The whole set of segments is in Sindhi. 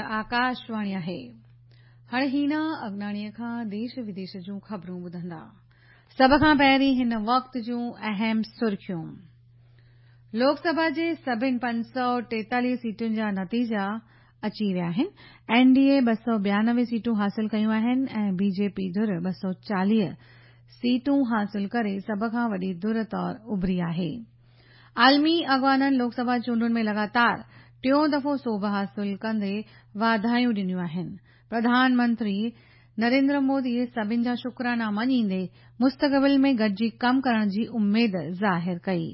هيء آڪاشواڻي آهي. هاڻي هينا اگناڻيء کان ديش وديش جون خبرون ٻڌندا. سڀ کان پهرين هن وقت جون اهم سرخيون. لوڪ سڀا جي سڀن 543 سيٽن جا نتيجا اچي ويا آهن. اين ڊي اي 292 سيٽون حاصل ڪيون آهن ۽ بي جي پي ڌر 240 سيٽون حاصل ڪري سڀ کان وڏي ڌر طور اڀري آهي. عالمي اڳواڻن لوڪ سڀا چونڊن ۾ لڳاتار ٽيون دفعو سوڀ حاصل ڪندي واڌايون ڏنيون آهن. پرڌان منتري نريندر مودي سڀن جا شڪرانا مڃيندي مستقبل ۾ گڏجي ڪم ڪرڻ جي اميد ظاهر ڪئي.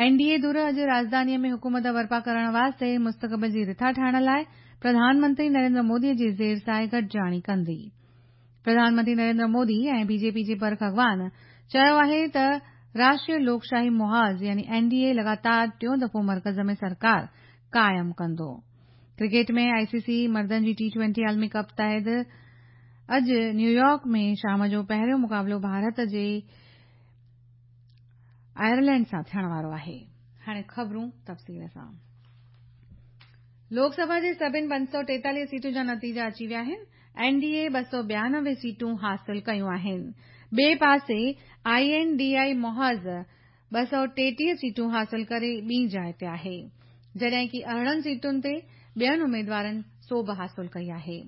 اين ڊي اي ڌر اڄ راڄڌانيء ۾ حڪومت برپا ڪرڻ واسطي مستقبل جي رٿا ٺاهڻ لاء پرڌان منتري نريندر مودي جي زير سايي گڏجاڻي ڪندي. پرڌان منتري نريندر مودي ۽ بي جي پي جي برک اڳواڻ چيو آهي ته راشٽريه لوڪشاهي محاذ يعني اين ڊي اي لڳاتار ٽيون دفعو مرڪز ۾ سرڪار قائم ڪندو. ڪرڪيٽ ۾ آء سي سي مردن جي ٽي ٽوئنٽي عالمي ڪپ تحت اڄ نيويارڪ ۾ شام جو پهريون مقابلو ڀارت جي آئرلينڊ سان ٿيڻ وارو آهي. هاڻي خبرون تفصيل سان. لوڪ سڀا جي سڀن 543 سيٽن جا نتيجا اچي ويا آهن. اين ڊي اي 292 سيٽون حاصل ڪيون آهن. ٻئي پاسي I N D I محاذ 233 سيٽون حاصل ڪري ٻي جاء تي آهي. جڏهن ڪي 18 سيٽن تي ٻين اميدوارن سوڀ حاصل ڪئي آهي.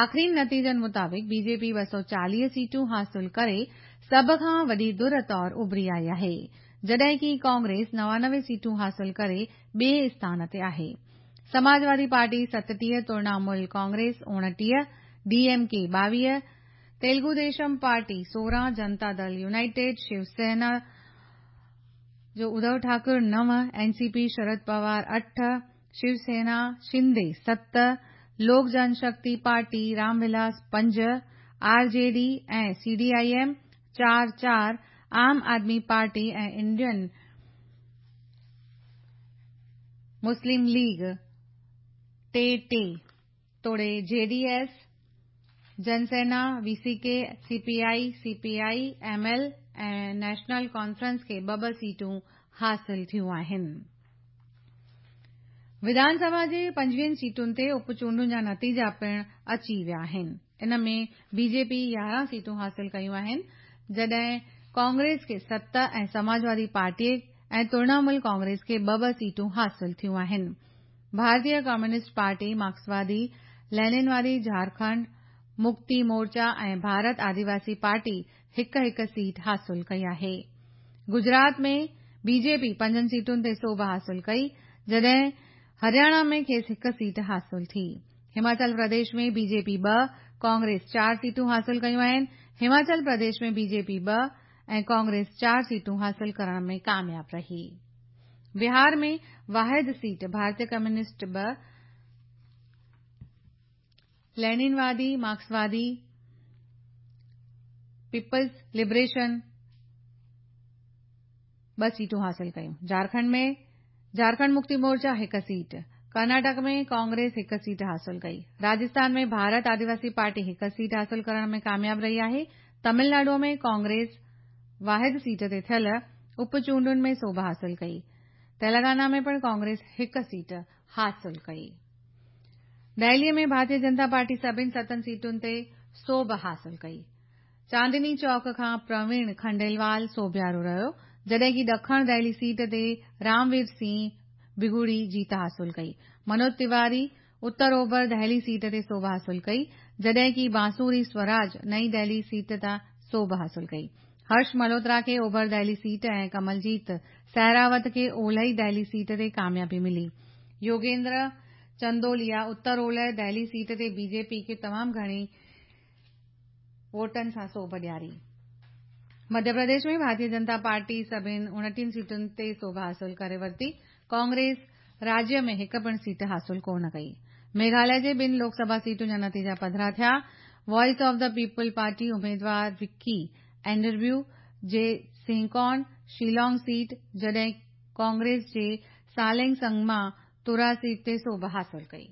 آخرين نتيجن مطابق بي جي پي 240 سيٽون حاصل ڪري سڀ کان وڏي ڌر طور اڀري آئي آهي. جڏهن ڪي ڪانگريس 99 سيٽون حاصل ڪري ٻئي اسٿان تي آهي. Samajwadi party 37، Trinamool Congress 29، D M K 22، Telugu Desam party 16، Janata Dal united, Shiv Sena جو Uddhav Thackeray 9، N C P Sharad Pawar 8، Shiv Sena Shinde 7، Lok Jan Shakti party Ram Vilas 5، R J D ۽ C D I M 4 4، Aam Aadmi party ۽ Indian Muslim league 3 3 توڙي J D S, Jana Sena, V C K, C P I, C P I, M L ۽ national conference کي ٻه ٻه سيٽون حاصل ٿيون آهن. وڌان سڀا جي 25 سيٽن تي اپ چونڊن جا نتيجا پڻ اچي ويا آهن. ان ۾ بي جي پي 11 سيٽون حاصل ڪيون آهن، جڏهن ڪانگريس کي 7 ۽ سماجوادي پارٽي ۽ ترڻامول ڪانگريس کي ٻه ٻه سيٽون حاصل ٿيون آهن. ڀارتيه ڪميونسٽ پارٽي، مارڪسوادي، ليننوادي جهارکنڊ مڪتي مورچا ۽ ڀارت آديواسي پارٽي هڪ هڪ سيٽ حاصل ڪئي آهي. گجرات ۾ بي جي پي پنجن سيٽن تي سوڀ حاصل ڪئي، جڏهن هرياڻا ۾ کيس هڪ سيٽ حاصل ٿي. هماچل پرديش ۾ بي جي پي ٻه، ڪانگريس چار سيٽون حاصل ڪيون آهن. هماچل پرديش ۾ بي جي پي ٻه ۽ ڪانگريس چار سيٽون حاصل ڪرڻ ۾ ڪامياب رهي. بهار ۾ واحد سيٽ ڀارتيه ڪميونسٽ ٻه، ليننوادي، مارڪسوادي، پيپلز لبريشن ٻه سيٽون حاصل ڪيون. جهارکنڊ ۾ جهارکنڊ مڪتي مورچا هڪ سيٽ، ڪرناٽڪ ۾ ڪانگريس هڪ سيٽ حاصل ڪئي. راجسٿان ۾ ڀارت آديواسي پارٽي هڪ سيٽ حاصل ڪرڻ ۾ ڪامياب رهي آهي. تامل ناڊو ۾ ڪانگريس واحد سيٽ تي ٿيل اپ چونڊن ۾ سوڀ حاصل ڪئي. تيلنگانا ۾ پڻ ڪانگريس هڪ سيٽ حاصل ڪئي. دهلي ۾ ڀارتيه جنتا پارٽي سڀن ستن سيٽن تي سوڀ حاصل ڪئي. چاندني چوڪ کان پرويڻ کنڊيلوال سوڀيارو رهيو، جڏهن ڪي ڏکڻ دهلي سيٽ تي رام وير سنگهه بگوڙي جيت حاصل ڪئي. منوج تيواري اتر اوڀر دهلي سيٽ تي سوڀ حاصل ڪئي، جڏهن ڪي بانسوري سوراج نئين دهلي سيٽ تان سوڀ حاصل ڪئي. هرش ملهوترا کي اوڀر دهلي سيٽ ۽ ڪمل جيت سهراوت کي اولهي دهلي سيٽ تي ڪاميابي ملي. يوگيندر چندوليا اتر اولهه دهلي سيٽ تي بي جي پي کي تمام گهڻي ووٽن سان سوڀ ڏياري. مڌيه پرديش ۾ ڀارتيه جنتا پارٽي سڀن 29 سيٽن تي سوڀ حاصل ڪري ورتي. ڪانگريس راجيه ۾ هڪ پڻ سيٽ حاصل ڪونه ڪئي. ميگهاليه جي ٻن لوڪ سڀا سيٽن جا نتيجا پڌرا ٿيا. Voice of the people party اميدوار وڪي اينڊريو جي سنهڪون شيلانگ سيٽ، جڏهن ڪانگريس جي سالينگ سنگما تورا سيٽ تي سوڀ حاصل ڪئي.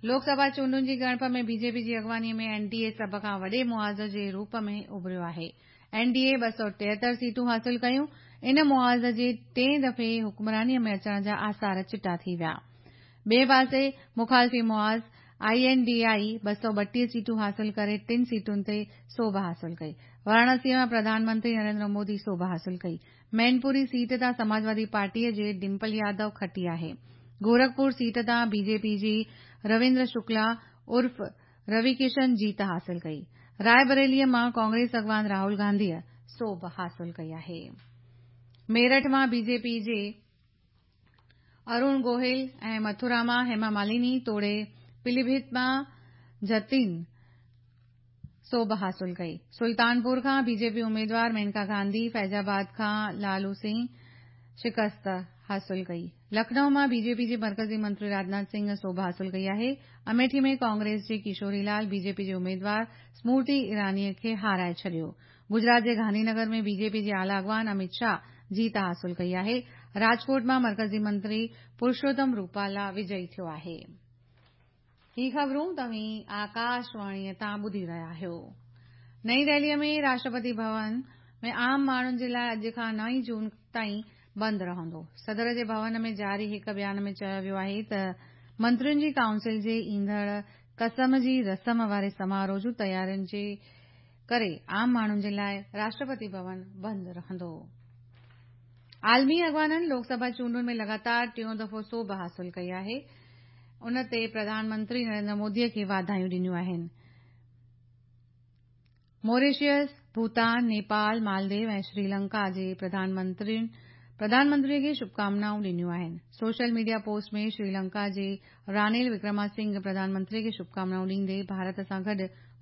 لوڪ سڀا چونڊن جي ڳڻپ ۾ بي جي پي جي اڳواڻي ۾ اين ڊي اي سڀ کان وڏي محاذ جي روپ ۾ اڀريو آهي. اين ڊي اي 273 سيٽون حاصل ڪيون. ان محاذ جي ٽئين دفعي حڪمراني ۾ اچڻ جا آثار چٽا ٿي ويا. ٻئي پاسي مخالفي محاذ I N D I 232 سيٽون حاصل ڪري ٽن سيٽن تي سوڀ حاصل ڪئي. واراڻسيء مان پرڌان منتري نريندر مودي سوڀ حاصل ڪئي. مينپوري سيٽ تان سماجوادي پارٽيء جي ڊمپل يادو کٽي آهي. گورکپور سيٽ تان بي جي پي جي رويندر شڪلا عرف روي ڪشن جيت حاصل ڪئي. راء بريليء مان ڪانگريس اڳواڻ راهول گانڌيء سوڀ حاصل ڪئي آهي. ميرٺ مان بي جي پي جي ارون گوهل ۽ مٿرا مان هيما مالني توڙي پليڀت مان جتين سوڀ حاصل ڪئي. سلطانپور کان بي جي پي اميدوار مينڪا گانڌي، فيض آباد کان لالو سنگهه شڪست حاصل ڪئي. لکنؤ مان بي جي پي جي مرڪزي منتري راجناٿ سنگهه سوڀ حاصل ڪئي آهي. اميٺي ۾ ڪانگريس جي ڪشوري لال بي جي پي جي اميدوار سمرتي ايرانيء کي هارائي ڇڏيو. گجرات جي گانڌي نگر ۾ بي جي پي جي اعليٰ اڳواڻ اميت شاهه جيت حاصل ڪئي آهي. راجڪوٽ مان مرڪزي منتري پرشوتم روپالا وجئي ٿيو آهي. هي خبرون توهين آڪاشواڻيء تان ٻڌي رهيا آهيو. نئين دهليء ۾ راشٽرپتي ڀون ۾ عام ماڻهن جي لاء اڄ کان نو جون تائين بند رهندو. صدر جي ڀون ۾ جاري هڪ بيان ۾ چيو ويو آهي ته منترين جي ڪائونسل جي ايندڙ قسم جي رسم واري سماروهه جون تيارين جي ڪري عام ماڻهن جي لاء راشٽرپتي ڀون بند رهندو. عالمي اڳواڻن لوڪ سڀا چونڊن ۾ لڳاتار ٽيون دفعو سوڀ حاصل ڪئي آهي، ان تي پرڌان منتري نريندر مودي کي واڌايون ڏنيون آهن. موريشس، ڀوتان، نيپال، مالديو ۽ سريلنڪا جي پرڌان منترين پرڌان منتري کي شڀڪامنائون ڏنيون آهن. سوشل ميڊيا پوسٽ ۾ سريلنڪا جي رانيل وڪرما سنگهه پرڌان منتري کي شڀڪامنائون ڏيندي ڀارت سان گڏ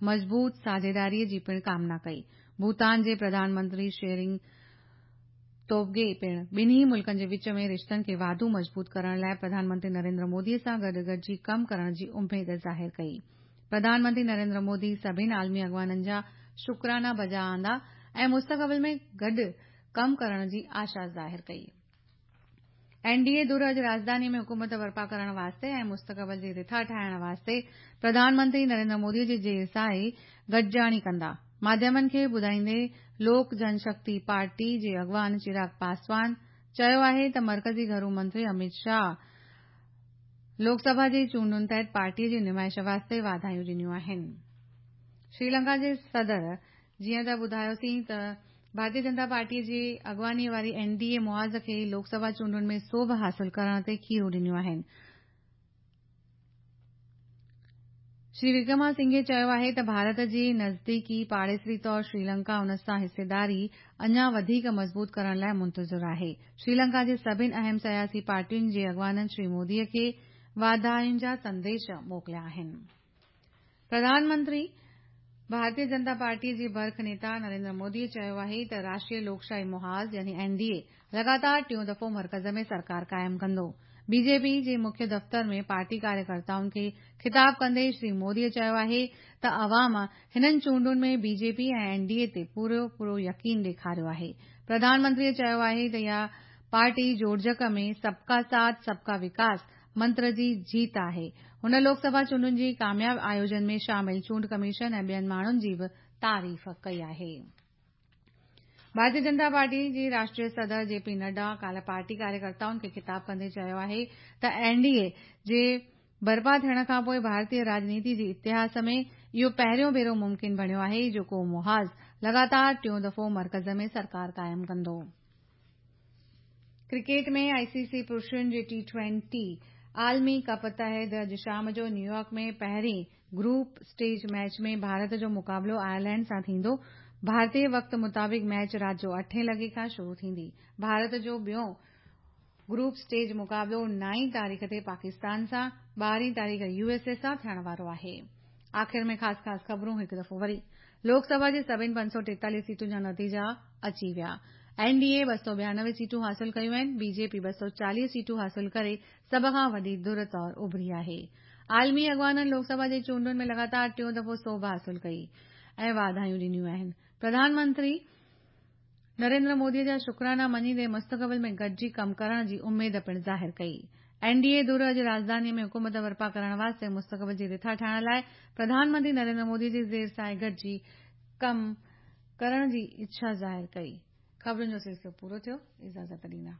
مضبوط ساجهيداري جي پڻ ڪامنا ڪئي. ڀوتان جي پرڌان منتري شيرنگ توبگي پڻ ٻنهي ملڪن جي وچ ۾ رشتن کي واڌو مضبوط ڪرڻ لاء پرڌان منتري نريندر مودي سان گڏ گڏجي ڪم ڪرڻ جي اميد ظاهر ڪئي. پرڌان منتري نريندر مودي سڀني عالمي اڳواڻن جا شڪرانا بجا آندا ۽ مستقبل ۾ گڏ ڪم ڪرڻ جي آشا ظاهر ڪئي. اين ڊي اي ڌر اڄ راڄڌاني ۾ حڪومت برپا ڪرڻ واسطي ۽ مستقبل جي رٿا ٺاهڻ واسطي پرڌان منتري نريندر مودي جي زير سائي گڏجاڻي ڪندا. ماڌيمن کي ٻڌائيندي لوڪ جن شڪتي پارٽي جي اڳواڻ چراغ پاسوان چيو آهي ته مرڪزي گهرو منتري اميت شاهه لوڪ سڀا جي چونڊن تحت پارٽي جي نمائش واسطي واڌايون ڏنيون آهن. سريلنڪا جي صدر جيئن ته ٻڌايوسين ته ڀارتي جنتا پارٽي جي اڳواڻي واري اين ڊي اي محاذ کي لوڪ سڀا چونڊن ۾ سوڀ حاصل ڪرڻ تي کيرون ڏنيون آهن. شري وڪرما سنگهي چيو آهي ته ڀارت جي نزديڪي پاڙيسري طور سريلنڪا ان سان حصيداري اڃا وڌيڪ مضبوط ڪرڻ لاء منتظر آهي. سريلنڪا جي سڀني اهم سياسي پارٽين جي اڳواڻن شري مودي کي واڌاين جا سنديش موڪليا آهن. پرڌان منتري ڀارتي جنتا پارٽي جي برک نيتا نريندر مودي چيو آهي ته راشٽريه لوڪشاهي محاذ يعني اين ڊي اي لڳاتار ٽيون دفعو مرڪز ۾ سرڪار قائم ڪندو. بي جي پي جي مکيه دفتر ۾ پارٽي ڪاريڪرتائن کي خطاب ڪندي شري مودي چيو آهي ته عوام هنن چونڊن ۾ B J P ۽ N D A تي پورو پورو يقين ڏيکاريو آهي. پرڌان منتري چيو آهي ته اها پارٽي جوڙجڪ ۾ سب ڪا ساٿ سب ڪا وڪاس منتر جي جيت آهي. هن لوڪ سڀا چونڊن جي ڪامياب آيوجن ۾ شامل چونڊ ڪميشن ۽ ٻين ماڻهن جي به تعريف ڪئي آهي. ڀارتي جنتا پارٽي جي راشٽريه صدر جي پي نڊا ڪالهه پارٽي ڪاريڪرتائن کي خطاب ڪندي چيو آهي ته اين ڊي اي جي برپا ٿيڻ کانپوء ڀارتي راڄنيتي جي اتهاس ۾ اهو پهريون ڀيرو ممڪن بڻيو آهي جو ڪو محاذ لڳاتار ٽيون دفعو مرڪز ۾ سرڪار قائم ڪندو. ڪرڪيٽ ۾ آء سي سي پرشن جي ٽي ٽوئنٽي عالمي ڪپ تحت اڄ شام جو نيويارڪ ۾ پهرين گروپ اسٽيج ميچ ۾ ڀارت جو مقابلو آئرلينڊ سان ٿيندو. ڀارتي وقت مطابق ميچ رات جو اٺين لڳي کان شروع ٿيندي. ڀارت جو ٻيون گروپ اسٽيج مقابلو نائين تاريخ تي پاڪستان سان، ٻارهين تاريخ يو ايس اي سان ٿيڻ وارو آهي. آخر ۾ خاص خاص خبرون هڪ دفعو وري. لوڪ سڀا جي سڀني 543 سيٽن جا نتيجا اچي ويا. اين ڊي اي 292 سيٽون حاصل ڪيون آهن، بي جي پي 240 سيٽون حاصل ڪري سڀ کان وڏي ڌر طور اڀري آهي. عالمي اڳواڻن لوڪ سڀا جي چونڊن ۾ لڳاتار ٽيون دفعو سوڀ حاصل ڪئي ۽ واڌايون ڏنيون آهن. پرڌان منتري نريندر مودي جا شڪرانا مڃيندي مستقبل ۾ گڏجي ڪم ڪرڻ جي اميد پڻ ظاهر ڪئي. اين ڊي اي ڌر اڄ راڄڌاني ۾ حڪومت برپا ڪرڻ واسطي مستقبل جي رٿا ٺاهڻ لاء پرڌان منتري نريندر مودي جي زير سائي گڏجي ڪم ڪرڻ جي اڇا ظاهر ڪئي. خبرن جو سلسلو پورو ٿيو. اجازت ڏيندا.